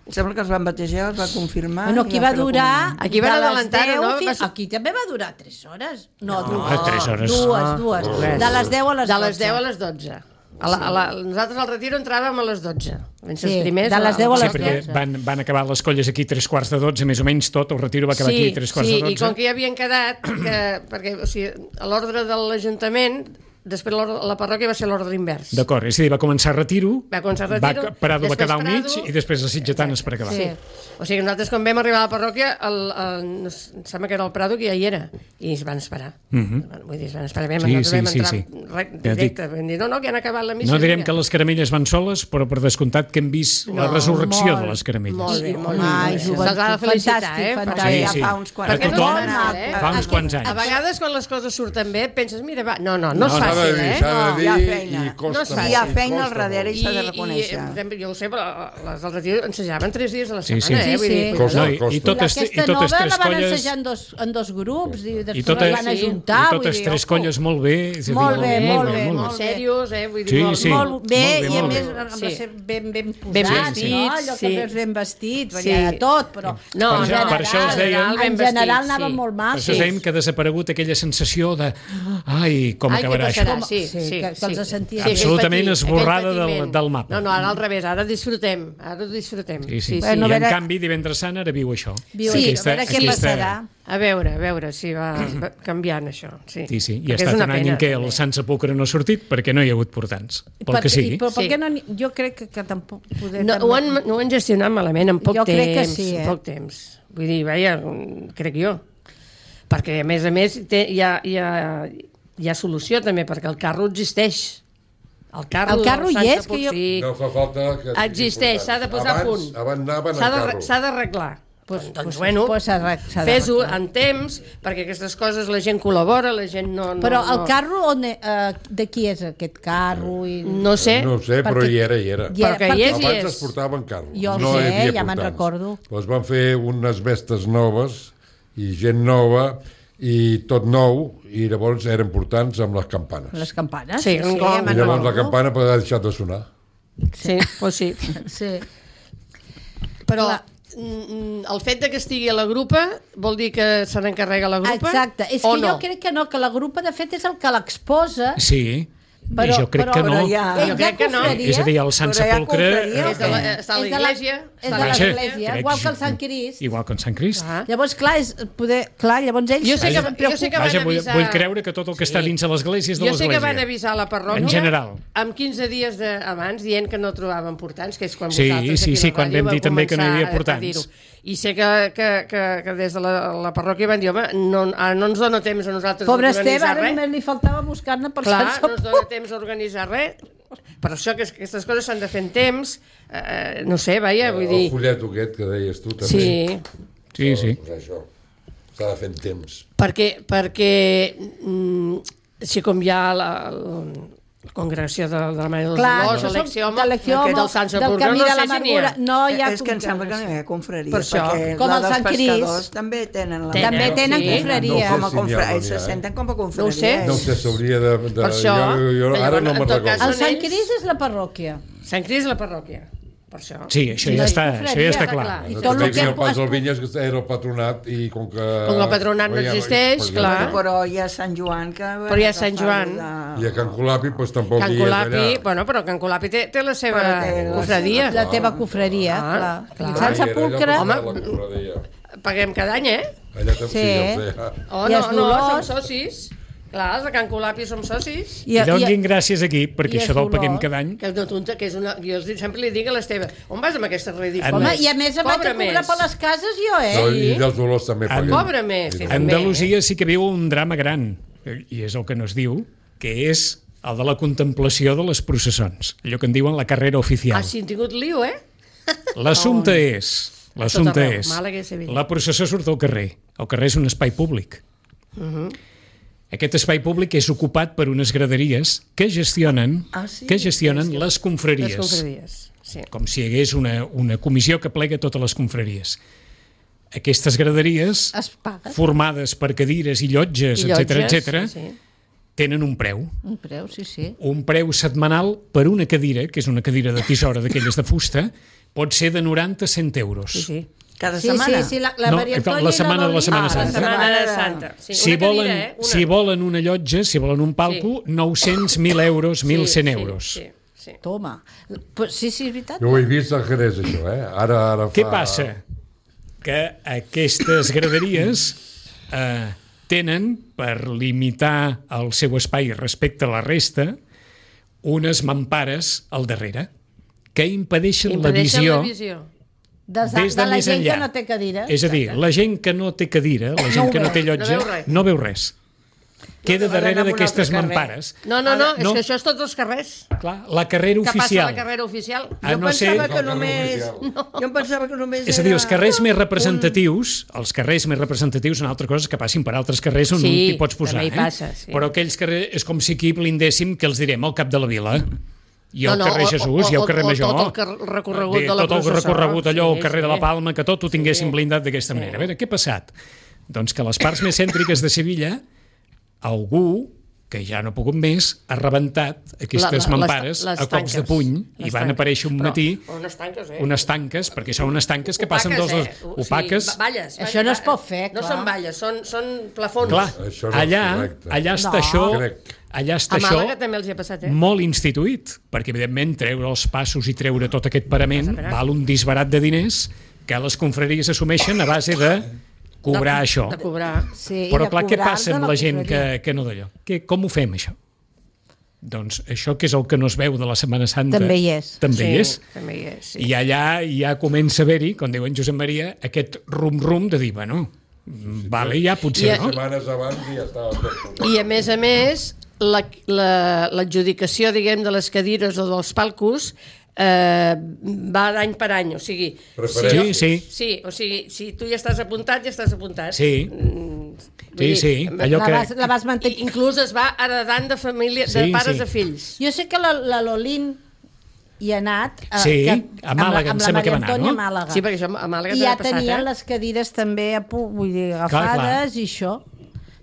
C: Em sembla que els van batejar, els va confirmar...
B: Bueno,
C: i
B: aquí
C: va
B: va
C: fer la
B: durar...
C: comunió.
E: Aquí van
B: de les
E: adelantar-ho,
B: deu
E: no?
B: fins-
E: Va ser-
B: Aquí també va durar tres hores. No,
A: No,
B: dues.
A: tres hores.
B: Dues, dues.
E: res.
B: De les deu a les
E: De
B: dotze.
E: les deu a les dotze. A la, a la, nosaltres al retiro entràvem a les dotze. Vam ser
B: Sí,
E: els primers.
B: de les deu a
A: Sí,
B: les
A: perquè
B: dotze.
A: van, van acabar les colles aquí tres quarts de dotze, més o menys tot, el retiro va acabar
E: sí,
A: aquí tres quarts
E: sí,
A: de
E: i com
A: dotze.
E: que ja havien quedat, que, perquè o sigui, a l'ordre de l'Ajuntament, després l'ordre- la parròquia va ser l'ordre invers.
A: D'acord, és a dir, va començar a retiro,
E: Va començar a retiro,
A: va, Prado va
E: després
A: quedar al mig
E: Prado,
A: i després a Sitgetanes per acabar.
E: Sí. O sigui, nosaltres quan vam arribar a la parròquia, el, el, no sé, em sembla que era el Prado que ja hi era, i es van esperar.
A: Mhm.
E: Vull dir, es van esperar. Vam,
A: Sí,
E: nosaltres
A: sí,
E: vam
A: sí,
E: entrar
A: sí.
E: re-
A: Ja et
E: directe. Vam dir, no, no, que han acabat la missa.
A: No direm
E: vinga.
A: que les caramelles van soles, però per descomptat que hem vist la
E: No,
A: resurrecció
B: molt,
A: de les caramelles.
E: Molt bé, molt bé.
B: Ai,
E: molt bé.
B: joventut,
E: Se'ls ha de felicitar,
B: fantàstic,
E: eh?
B: fantàstic.
A: Sí,
C: Ja
A: sí.
C: fa uns quants
A: A
E: Perquè no
A: tothom,
E: és fàcil, eh?
A: fa uns quants
E: A
A: anys.
E: vegades, quan les coses surten bé, penses, mira, va... No, no, no,
A: No,
E: és
A: no,
D: S'ha de
E: fàcil,
D: dir,
E: eh?
D: s'ha de
C: No,
D: dir
C: hi ha
D: i
C: feina.
D: costa
E: No és
D: molt.
E: fàcil.
C: Hi ha feina
D: costa
C: al darrere
D: molt.
C: i s'ha de
E: I,
C: reconèixer.
E: per exemple, jo ho sé, però les del retiro ensejaven tres dies a la
A: Sí,
E: setmana,
A: sí.
E: eh? Vull
B: Sí,
E: dir,
B: sí.
D: Costa,
A: No, i, i
D: costa.
A: totes, i
B: Aquesta
A: totes
B: nova
A: tres
B: la van
A: colles...
B: ensejar en dos, en dos grups i després
A: I, tota,
B: la van
E: sí,
B: ajuntar.
A: i
B: vull
A: totes
B: dir,
A: tres
B: ojo.
A: colles molt bé. és a dir,
B: Molt bé, molt bé,
A: molt
B: molt
E: molt serios, eh? Vull dir,
A: Sí,
E: molt,
A: sí.
B: Molt bé,
A: Molt bé,
B: i a
A: molt
B: més
A: bé.
B: amb
E: Sí.
B: la ser ben, ben
E: Ben
B: posats,
E: vestits,
B: no? Allò que
E: sí.
B: veus ben vestit,
E: Sí.
B: sí. de tot, però
E: No,
B: en
A: Per això-
B: general,
A: per això els deien-
B: en
E: ben
B: general
E: vestits,
B: anava
E: sí.
B: molt
A: Per
B: maco.
A: això dèiem que ha desaparegut aquella sensació de ai, com
E: Ai, què
A: acabarà això.
E: passarà? Sí,
B: Sí,
E: sí,
B: que- que
E: sí.
B: els sentia
E: aquell
A: absolutament
E: patir,
A: esborrada
E: aquell
A: del-
E: patiment.
A: del mapa.
E: No, no, ara al revés, ara disfrutem, ara disfrutem.
A: Sí, sí.
E: sí, sí.
B: Bueno,
A: I
B: a
A: en
B: veure-
A: canvi, divendres sant ara viu això.
B: Viu
E: Sí,
B: sí, a veure què passarà.
E: A veure, a veure si va, va canviant això. Sí,
A: Sí, sí, i ha
E: Perquè és
A: estat
E: una
A: un any
E: pena,
A: en què
E: també.
A: el Sant Sepulcre no ha sortit perquè no hi ha hagut portants, pel
B: Per-
A: que sigui.
B: i- Però per
E: Sí.
B: què no... n'hi- Jo crec que, que tampoc podem...
E: No, ho, han, no ho han gestionat malament, en poc
B: Jo
E: temps.
B: crec que sí, eh?
E: En poc temps. Vull dir, vaja, crec jo. Perquè, a més a més, té, hi, ha, hi, ha, hi ha solució també, perquè el carro existeix. El carro,
B: El carro
E: del
B: hi
E: Sant
B: és, que jo-
E: Sepulcre,
D: No fa falta que... sigui
E: Existeix, s'ha de posar a
D: abans,
E: punt.
D: Abans anaven
E: S'ha
D: en
E: de-
D: carro.
E: s'ha d'arreglar. Pues, doncs,
B: pues-
E: bueno,
B: pues s'ha de- s'ha de
E: fes-ho
B: arreglar.
E: en temps, perquè aquestes coses la gent col·labora, la gent no... no
B: Però el
E: no,
B: carro, on, eh, de qui és aquest carro? I...
E: No sé,
D: No ho sé, però
B: Perquè-
D: hi era, hi era.
B: Hi era,
E: Però que hi és, hi
D: Abans
E: és.
D: es portaven carros.
B: Jo ho
D: no
B: sé,
D: hi havia
B: ja me'n
D: portants.
B: recordo.
D: Però es van fer unes vestes noves i gent nova i tot nou, i llavors eren portants amb les campanes.
B: Les campanes?
E: Sí, un gong.
D: I
B: me'n
D: llavors la
B: recordo.
D: campana pot haver deixat de sonar.
E: sí, pues sí.
B: Sí.
E: Però
B: Clar.
E: el fet de que estigui a la grupa vol dir que se n'encarrega la grupa?
B: Exacte, és
E: o
B: que
E: no?
B: jo crec que no, que la grupa de fet és el que l'exposa.
A: Sí,
B: Però,
A: jo crec
B: però,
A: que no.
C: Però ja-
B: Ell
E: Jo
B: ja
E: crec que no.
B: confraria.
A: És a dir, el Sant
C: Però hi ha
A: Sepulcre...
C: confraria,
E: És de la, està a
B: És de la-
E: l'església.
B: és
E: està
B: de
E: a
B: l'església,
A: crec
B: igual que el
A: jo.
B: Sant Crist.
A: Igual que el Sant Crist.
E: Ah.
B: Llavors, clar, és poder... clar, llavors ells...
E: Jo sé que,
B: es
E: jo sé que
B: preocupen.
E: van
A: Vaja, vull,
E: avisar...
A: vull creure que tot el que està dins de l'església és de
E: Jo sé que van
A: l'església.
E: avisar la parròquia
A: En general.
E: amb quinze dies de, abans dient que no trobaven portants, que és quan
A: Sí,
E: vosaltres
A: sí,
E: aquí
A: sí,
E: a la
A: quan
E: ràdio
A: vam dir
E: vau
A: també que no hi havia
E: començar a- a
A: portants.
E: dir-ho. I sé que, que, que, que des de la, la parròquia van dir, home, no, ara no ens dona temps a nosaltres
B: Pobre Esteve,
E: d'organitzar
B: ara
E: res.
B: només li faltava buscar-ne per
E: Clar,
B: Sant
E: no ens dona
B: Sepulcre.
E: temps a organitzar res. Per això que aquestes coses s'han de fer en temps. Eh, no sé, vaja, vull
D: El
E: dir...
D: fulleto aquest que deies tu també.
E: Sí,
A: Sí, sí.
D: Pues això, s'ha de fer en temps.
E: perquè, perquè mm, si com hi ha la, la congregació de, de la Mare dels
B: Clar,
E: Dolors,
B: això són
E: l'Exioma,
B: de l'Exioma,
E: aquest del Sant
B: del
E: Sepulcre,
B: Camí
E: no
B: de
E: sé si n'hi
B: l'Amargura.
E: ha.
B: No hi ha
C: És que em sembla que no hi ha confraries,
E: Per això.
C: perquè
B: Com
C: la
B: el
C: dels
B: Sant Crist.
C: pescadors també tenen la...
E: Tenen,
B: També tenen
E: sí.
B: confraria.
C: Com a
D: No sé si n'hi ha
C: confra...
D: o no n'hi ha,
C: se
D: eh?
C: senten com a
E: No ho
C: confraries.
E: sé.
D: No sé, s'hauria de... de
E: Per això,
D: jo, jo,
E: que
D: ara
E: llavors,
D: no
E: en
D: me'n
E: tot cas,
D: recordo.
B: El Sant
E: ells-
B: Crist és la parròquia.
E: Sant Crist és la parròquia, per això.
A: Sí, això
B: No
A: ja
B: és
A: està,
B: confraria,
A: això ja està
E: està
A: clar.
E: clar.
B: I
D: No,
B: tot el
D: també
B: que
D: el Pas
B: es-
D: del Vinyes que era el patronat i com que...
E: Com el patronat no
D: Ja
E: existeix,
D: pues,
E: clar.
C: Bueno, però hi ha Sant Joan que...
E: Però hi ha Sant Joan.
D: I a Can Colapi pues, tampoc
E: Can
D: hi és
E: Colapi,
D: allà.
E: bueno, però Can Colapi té, té la seva
C: Però té la
E: cofradia.
B: La teva confraria,
E: Ah,
B: clar.
E: clar.
B: I Sant
D: Ai, era allò
B: Sepulcre...
D: per
E: Home,
D: la confraria.
E: Paguem cada any, eh?
D: Allà també
B: Sí.
D: sí, ja ho sé.
E: Oh,
B: I
E: no,
B: els
E: no,
B: Dolors.
E: som socis. Clar, els de Can Colapi som socis.
A: I donin gràcies aquí, perquè
B: i
A: això
B: és
A: del paguem
B: dolor.
A: cada any...
E: Que és una tonta, que és una... Jo els dic- sempre li dic a l'Esteve, on vas amb aquesta ridícula?
A: Home,
B: Home, i a més em vaig a
E: Cobra
B: cobrar
E: més.
B: per les cases jo, eh?
D: No, I dels dolors també paguem.
E: Cobra més, sí,
D: I
E: també.
A: Andalusia sí que viu un drama gran, i és el que no es diu, que és el de la contemplació de les processons, allò que en diuen la carrera oficial.
E: Ah, sí, han tingut lío, eh?
A: L'assumpte és, l'assumpte
E: arreu,
A: és,
E: Màlaga i Sevilla.
A: la processó surt al carrer, el carrer és un espai públic.
E: Uh-huh.
A: Aquest espai públic és ocupat per unes graderies que gestionen,
C: Ah, sí?
A: que gestionen les
E: Les
A: confraries.
E: confraries, sí.
A: Com si hi hagués una, una comissió que plega totes les confraries. Aquestes graderies,
B: Es paga.
A: formades per cadires i llotges,
E: I
A: etc
E: llotges,
A: etc,
E: sí.
A: tenen un preu.
B: Un preu, sí, sí.
A: Un preu setmanal per una cadira, que és una cadira de tisora d'aquelles de fusta, pot ser de noranta a cent euros.
E: Sí, sí.
C: Cada
B: Sí,
C: setmana?
B: sí, sí, la, la
A: No,
B: Maria
A: la
B: Antònia
A: setmana de la
B: i
A: Setmana
B: Loli.
A: Santa.
E: La setmana
C: setmana
E: de
C: de-
E: Santa. Sí,
A: Si
E: una cadira,
A: volen,
E: eh? Una.
A: si volen una llotja, si volen un palco, nou-cents, mil euros, mil cent euros.
E: Sí, sí.
B: Toma. Pues, sí, sí, és veritat.
D: Jo ho he vist al Jerez, això, eh? Ara, ara fa...
A: Què passa? Que aquestes graderies eh, tenen, per limitar el seu espai respecte a la resta, unes mampares al darrere que impedeixen,
E: Impedeixen
A: la visió,
E: la visió.
B: Des de,
A: des de,
B: de la
A: més
B: gent
A: enllà.
B: que no té cadira.
A: És a dir, la gent que no té cadira, la gent
B: ho
A: que no
B: veu,
A: té
E: no
A: llotja,
E: veu res.
A: no veu res. Queda
C: No,
A: darrere
C: van a un
A: d'aquestes
C: altre carrer.
A: mampares.
E: No, no, no, és
A: No.
E: que això és tots els carrers.
A: Clar, la carrera
E: Que passa a
A: oficial.
E: la carrera oficial.
A: A
C: Jo
A: no ser...
C: pensava que
D: No,
C: només...
D: no,
C: Jo em pensava que només
A: És a dir, els carrers
C: era
A: més representatius, els carrers més representatius són altres coses que passin per altres carrers on
E: Sí,
A: un t'hi pots posar.
E: també hi
A: eh?
E: passa, sí.
A: Però aquells carrers és com si aquí blindéssim que els direm al cap de la vila. I al
E: No, no,
A: carrer
E: o-
A: Jesús,
E: o-
A: i al carrer
E: o
A: Major.
E: tot el car- recorregut
A: Bé,
E: de la
A: tot el
E: processó.
A: recorregut allò,
E: Sí,
A: el carrer de
E: sí.
A: la Palma, que tot ho tinguéssim blindat d'aquesta manera. A veure, què ha passat? Doncs que a les parts més cèntriques de Sevilla, algú que ja no ha pogut més, ha rebentat aquestes
E: La- la- les-
A: mampares
E: les
A: a cops de
E: tanques.
A: puny i
E: Les
A: van
E: tanques.
A: aparèixer un
E: Però
A: matí
E: unes tanques, eh?
A: unes tanques, perquè són unes tanques que passen
E: Opaques,
A: dels dos...
E: eh?
A: Opaques.
E: Sí, valles,
B: Això no es pot fer,
E: No
B: clar.
E: són valles, són, són plafons.
A: Clar,
D: Això no és
A: allà,
D: correcte.
A: allà està
B: No.
A: això,
D: Crec.
A: allà està
E: A
A: això
E: Màlaga també els hi ha passat, eh?
A: molt instituït, perquè evidentment treure els passos i treure tot aquest parament
E: Vas a veure.
A: val un disbarat de diners que les confraries assumeixen a base de cobrar
E: de,
A: això.
E: De cobrar.
B: Sí, i
A: Però
B: de
A: clar, què
B: cobrar
A: passa
B: de
A: amb la gent
B: confraria.
A: que, que no d'allò? Que, com ho fem, això? Doncs això que és el que no es veu de la Setmana Santa...
B: També hi és.
A: També hi és.
E: També hi és, sí.
A: I allà ja comença a haver-hi, com diu en Josep Maria, aquest rum-rum de dir, bueno, vale, ja potser,
E: I-
A: no?
D: Setmanes abans i ja estava tot.
E: I a més a més, la- la- l'adjudicació, diguem, de les cadires o dels palcos eh, va d'any per any, o sigui...
A: Sí,
D: Preferència.
A: sí.
E: Sí, o sigui, si tu ja estàs apuntat, ja estàs apuntat.
A: Sí.
E: Mm, vull
A: Sí,
E: dir,
A: sí, allò
B: La
A: que...
B: vas, la vas
E: I,
B: mantenir.
E: inclús es va heredant de família, de
A: Sí,
E: pares
A: sí.
E: a fills.
B: Jo sé que la, la Lolín hi ha anat... eh,
A: Sí,
B: que,
A: a Màlaga, em
B: amb la,
A: sembla que va
B: amb la
A: anar,
B: Maria Antònia
A: no?
B: a Màlaga.
E: Sí, perquè això a Màlaga
B: I
E: també
B: ja
E: ha passat,
B: tenien
E: eh?
B: les cadires també a pu- vull dir,
A: clar.
B: agafades i això.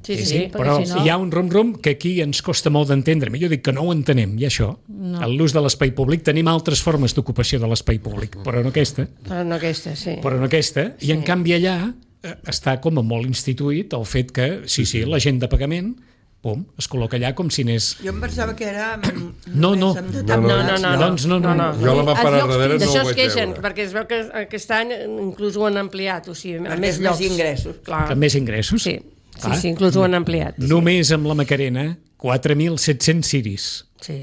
E: Sí, sí,
A: sí,
E: sí,
A: però
B: perquè si no-
A: hi ha un rom-rom que aquí ens costa molt d'entendre. Jo dic que no ho entenem, i això. No. En l'ús de l'espai públic tenim altres formes d'ocupació de l'espai públic, però no aquesta.
E: Però no aquesta, sí.
A: Però no aquesta. I en canvi allà eh, està com a molt instituït el fet que, sí, sí, la gent de pagament, pum, es col·loca allà com si anés...
C: Jo em pensava que era...
A: No, no.
C: només amb
E: No,
C: determinats
E: no, no, no.
A: Doncs no, no, no.
D: Jo la mà per
B: Els llocs
D: darrere no
E: D'això
D: ho
E: es
D: vaig
E: queixen,
D: veure.
E: perquè es veu que aquest any inclús ho han ampliat, o sigui, a
C: Perquè
E: més
C: és més
E: llocs.
C: ingressos.
E: Clar.
A: Que més ingressos.
E: Sí, sí,
A: Clar.
E: sí, inclús ho han ampliat.
A: Només amb la Macarena, quatre mil set-cents ciris.
E: Sí.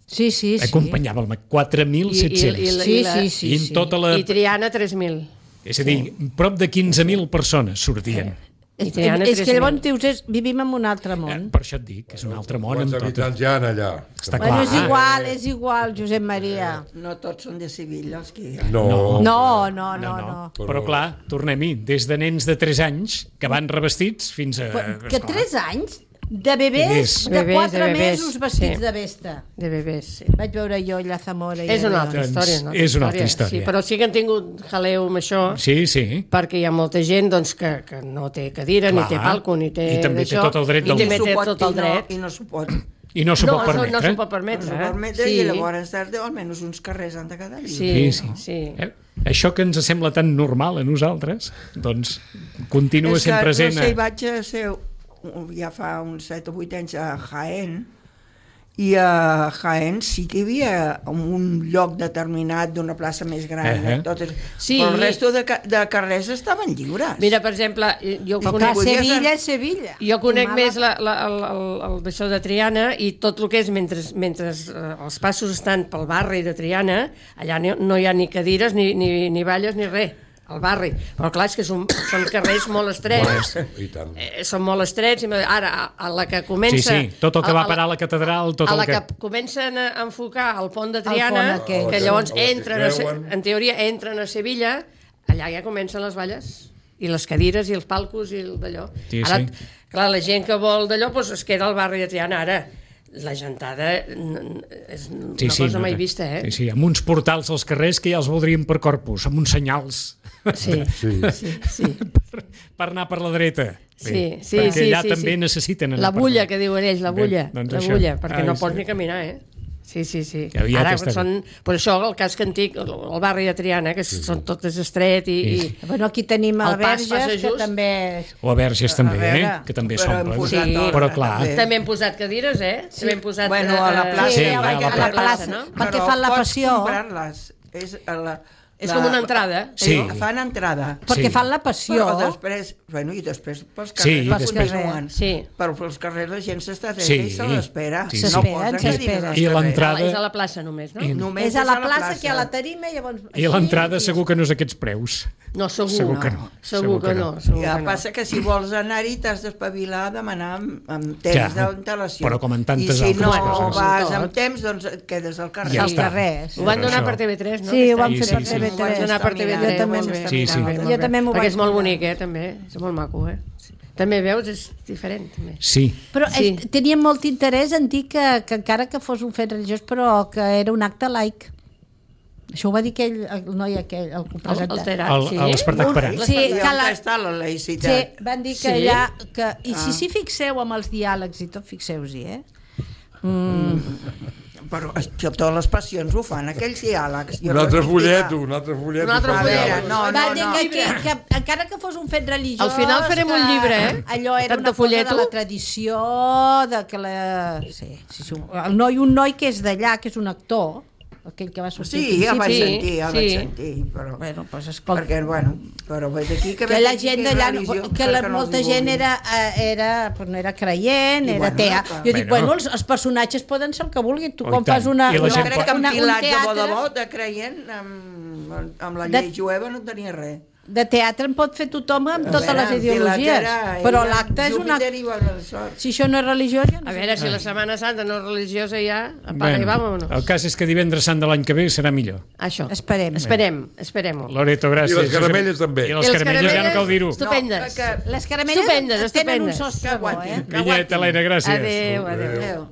B: Sí, sí, sí.
A: Acompanyava el Mac, quatre mil set-cents.
E: I- i- i-
B: Sí,
E: la-
B: sí, sí.
A: I en
B: sí.
A: tota la...
E: I Triana, tres mil.
A: És a dir, prop de quinze mil persones sortien.
E: I
B: És,
E: Triana,
B: és que
E: tres mil.
B: llavors dius, és, vivim en un altre
A: Eh,
B: món.
A: per això et dic, que és un altre món.
D: Quants
A: Amb tot.
D: habitants hi ha allà?
A: Està
B: Bueno,
A: clar.
B: és igual, és igual, Josep Maria.
C: No tots són de Sevilla, els que hi ha.
D: No.
B: No, no, no,
A: No,
B: no.
A: no. Però clar, tornem-hi, des de nens de tres anys que van revestits fins a...
B: Que
A: esclar.
B: tres anys de bebès,
A: Bebès.
B: de
E: Bebès,
B: quatre
E: de bebès,
B: mesos vestits
E: sí.
B: de vesta.
E: De bebès, sí.
B: Vaig veure jo allà a Zamora. i
E: És una
B: allà.
E: altra
A: Doncs
E: història. Una altra
A: és una altra història.
E: Sí, però sí que han tingut jaleu amb això,
A: Sí, sí.
E: perquè hi ha molta gent doncs, que, que no té cadira,
A: Clar.
E: ni té palco, ni té
A: I també té
E: d'això,
A: tot el dret
E: i
A: del
E: també
A: món.
E: té
C: S'ho pot
E: tot el
C: i no-
E: dret.
C: I no s'ho pot.
A: I no s'ho
E: no,
A: pot
E: això
A: permetre.
E: no s'ho pot
C: No
E: permetre.
C: s'ho
E: eh?
C: permetre
E: sí.
C: i llavors tarda almenys uns carrers han de quedar lliures.
E: Sí,
A: Sí, sí.
E: sí.
A: Eh? Això que ens sembla tan normal a nosaltres, doncs continua
C: És que,
A: sent present.
C: no sé,
A: a-
C: vaig a ser ja fa uns set o vuit anys a Jaén, i a Jaén sí que hi havia un lloc determinat d'una plaça més gran,
A: Eh, eh.
C: totes,
E: Sí.
C: però el resto de, ca- de carrers estaven lliures.
E: Mira, per exemple, jo
B: Però
E: conec,
B: clar,
C: Podies
B: Sevilla
C: anar-
B: és Sevilla.
E: jo conec
B: Mala-
E: més la, la, el, el, el d'això de Triana i tot el que és mentre, mentre eh, els passos estan pel barri de Triana, allà no, no hi ha ni cadires, ni, ni, ni balles, ni res, al barri. Però clar, és que són, són carrers molt estrets,
D: I tant.
E: eh, són molt estrets, i ara, a, a la que
A: Sí,
E: comença...
A: sí, tot el que
E: a-
A: va
E: a la-
A: parar a la catedral, tot
E: a
A: el
E: la
A: que...
E: que comencen a enfocar el pont de
B: pont
E: Triana,
B: aquell.
E: que llavors
D: A la que
E: entren, a, Se-
D: creuen.
E: en teoria entren a Sevilla, allà ja comencen les balles, i les cadires, i els palcos, i el d'allò.
A: Sí,
E: Ara,
A: sí.
E: clar, la gent que vol d'allò doncs es queda al barri de Triana. Ara, la gentada n- n- és una
A: Sí, sí,
E: cosa
A: no,
E: mai
A: no.
E: vista, eh?
A: Sí, sí, amb uns portals als carrers que ja els voldríem per corpus, amb uns senyals
E: Sí,
D: Sí.
E: sí, sí.
A: per, per anar per la dreta.
E: Sí, sí,
A: perquè
E: sí,
A: allà
E: sí,
A: també
E: sí.
A: necessiten anar
E: La
A: per
E: bulla, que diuen ells, la
A: Bé,
E: bulla,
A: doncs
E: la
A: això.
E: bulla, perquè
A: Ai,
E: no
A: sí.
E: pots ni caminar, eh? Sí, sí, sí.
A: Que aviat
E: Ara
A: està
E: són, per això el casc antic, el, el barri de Triana, que són totes estret i,
A: Sí.
E: i
B: Bueno, aquí tenim a
E: El pas
B: Verges,
E: passa
B: que
E: just.
B: també...
A: O a Verges també,
B: A veure,
A: eh? que també
C: però hem
A: s'omplen.
C: posat
E: Sí.
C: ordre,
A: Però clar.
C: també.
E: també hem posat cadires, eh? Sí. També hem posat...
C: Bueno, a la
E: eh,
C: plaça.
A: Sí,
B: Sí,
A: a
B: a
A: la
B: la,
A: plaça.
B: plaça,
E: no?
B: perquè
C: Però
B: fan la
C: pots
B: passió.
C: comprar-les. És, a la,
E: És
C: la-
E: com una entrada.
A: Sí.
C: Fan entrada.
B: Perquè
A: Sí.
B: fan la passió.
C: Però després, bueno, i després pels
A: Sí,
C: carrers
A: Pels
C: després
B: carrers.
C: no van.
E: Sí.
C: Però pels carrers la gent s'està dreta
A: Sí.
C: i se l'espera.
A: Sí,
C: no
A: sí.
B: S'esperen,
C: posen
B: s'esperen.
C: cadires als
A: I
C: carrers.
A: l'entrada-
E: És a la plaça només, no?
A: I-
C: Només
B: És a la plaça, que hi ha la tarima i llavors...
A: I a l'entrada
B: així,
A: segur que no és aquests preus.
E: No, segur,
A: Segur que no.
E: Segur que no. Segur
C: Ja
E: que no.
C: passa que si vols anar-hi t'has d'espavilar a demanar amb, amb temps
A: Ja,
C: d'antelació.
A: però com en tantes
C: I si no
A: altres coses.
C: vas
E: Tot.
C: amb temps, doncs et quedes al carrer.
A: Ja
B: als
A: està.
B: carrers.
E: Ho van
A: Però
E: donar
A: això-
E: per T V tres, no?
B: Sí, ho van
A: Sí,
B: fer
A: sí,
B: per
A: sí.
B: T V
C: Ho vaig
B: tres.
E: donar per T V tres.
B: Jo també
E: molt bé.
B: m'està
A: Sí, sí.
B: mirant.
E: Molt
B: Jo
E: bé.
B: també m'ho
E: Perquè
B: vaig
E: és molt
B: mirar.
E: bonic, eh, també. És molt maco, eh? Sí. També veus, és diferent, també.
A: Sí,
B: Però
E: Sí.
B: sí. Tenien molt interès en dir que, que encara que fos un fet religiós, però que era un acte laic. Això ho va dir aquell, el noi aquell, el que ho
E: El,
B: presenta.
E: el Terat,
A: El-
E: sí.
A: l'Espartac Perat.
B: Sí,
C: I
B: que
C: on
B: la-
C: està la
B: Sí,
C: laïcitat?
B: van dir que
E: Sí?
B: allà... Que, I si s'hi fixeu amb els diàlegs i tot, fixeu-s'hi, eh?
C: Però això, totes les passions ho fan, aquells diàlegs. Jo
D: Un altre
C: no-
D: folleto, un altre folleto.
E: Un altre
D: per
C: A veure,
D: diàleg.
C: no,
B: Va
C: no,
B: dir
C: no.
B: que, que, que encara que fos un fet religiós...
E: Al final farem
B: que
E: un llibre, eh?
B: Allò era
E: Tant
B: una
E: de
B: cosa
E: folleto.
B: de la tradició, de que la... Sí, sí, sí. El noi, un noi que és d'allà, que és un actor, aquell que va sortir
C: Sí, ja
B: al
C: vaig
E: Sí,
C: sentir, ja
E: sí.
C: vaig sentir, però...
B: Bueno, doncs escolta,
C: Perquè, bueno, però ve d'aquí que...
B: que
C: ve
B: la
C: d'aquí
B: gent
C: que és
B: d'allà,
C: religió,
B: que la,
C: perquè no els
B: molta
C: hi
B: gent
C: vulguin.
B: era, eh, era, pues no era creient,
C: I
B: era
C: bueno,
B: atea.
C: clar.
B: Jo dic,
A: Bueno.
B: bueno, els, els personatges poden ser el que vulguin. Tu
A: Oh, i
B: quan
A: tant.
B: fas una,
A: I la
C: Jo
B: una,
A: gent
C: crec
A: pot-
C: que amb
B: una, un
C: pilats de bo de
B: teatre,
C: bo, de creient, amb, amb la
B: De-
C: llei jueva no tenia res.
B: de teatre en pot fer tothom amb
C: A
B: totes
C: veure,
B: les
C: en
B: ideologies.
C: Pilat era-
B: Però
C: era
B: l'acte és una...
C: Júpiter i Valsort.
B: Si això no és religiós, ja no
E: A
B: sé.
E: veure, si la Setmana Santa no és religiosa ja, apaga i vámonos.
A: el cas és que divendres sant de l'any que ve serà millor.
E: Això.
B: Esperem.
E: Esperem, esperem-ho.
A: Loreto, gràcies.
D: I les caramelles també.
A: I les caramelles ja no cal dir-ho.
E: Estupendes.
C: No, que-
B: Les caramelles
E: Estupendes,
B: tenen un
E: estupendes.
B: sostre
C: Que
B: bo,
C: aguantin.
B: eh?
C: Que
A: Vinyet,
C: aguantin.
A: Helena, gràcies.
E: Adéu, adéu.
C: Adéu.